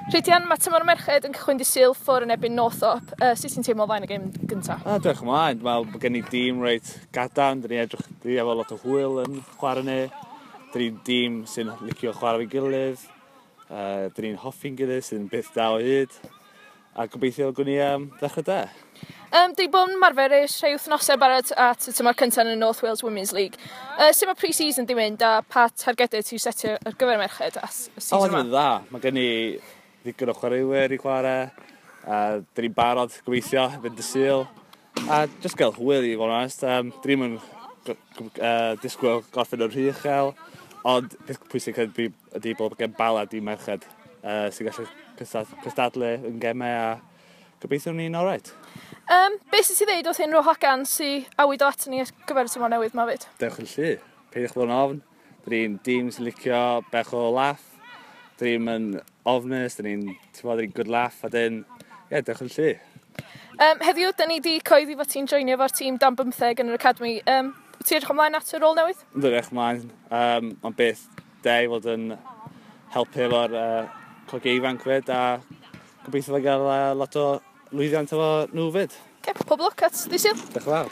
Rhydian, mae tymor y merched yn cychwyn dydd Sul ffwr yn erbyn Northop. Sut ti'n teimlo o flaen y gêm gyntaf? O, diolch ymlaen. Dwi'n meddwl bod gen i dîm reit gadarn. Dyn ni edrych, dyn ni efo lot o hwyl yn chwarae ni. Dyn ni'n dîm sy'n licio chwarae fo'i gilydd. Dyn ni'n hoffi'n gilydd sy'n beth da o hyd. A gobeithio gwn i ddechrau da. Dwi bod yn marfer ers rhai wythnosau barod at y tymor cyntaf yn y North Wales Women's League. Sut mae pre-season di mynd a pa targedau ti'n setio ar gyfer y merched as y season O, yma? mae'n dda. Mae gen i ddigon o chwaraewyr i chwarae. A dyn ni'n barod gobeithio fynd y Sul. A just gael hwyl i fod yn onest. Dyn ni'n disgwyl gorffen yn rhy uchel. Ond peth pwysig ydy ydy bod gen Bala di merched sy'n gallu cystadlu yn gemau a gobeithio ni'n alright. Beth sy'n ti ddeud wrth unrhyw hogan sy'n awydd o at ni ar gyfer y tymor newydd ma fyd? Dewch yn llu. Peidiwch bod yn ofn. Dyn ni'n dîm sy'n licio bech o laff. Dyn ni'n ofnus, dyn ni'n, ti'n bod, dyn ni'n good laugh, a dyn, ie, yeah, dewch yn llu. Heddiw, dyn ni di coeddi fod ti'n joinio efo'r tîm dan 15 yn yr academy. Ti'n edrych ymlaen at y rôl newydd? Yn edrych ymlaen. Mae'n beth da i fod yn helpu efo'r cogiau ifanc fyd, a gobeithio fe gael lot o lwyddiant efo nhw fyd. Okay, pob lwc at ddydd Sul. Diolch yn fawr.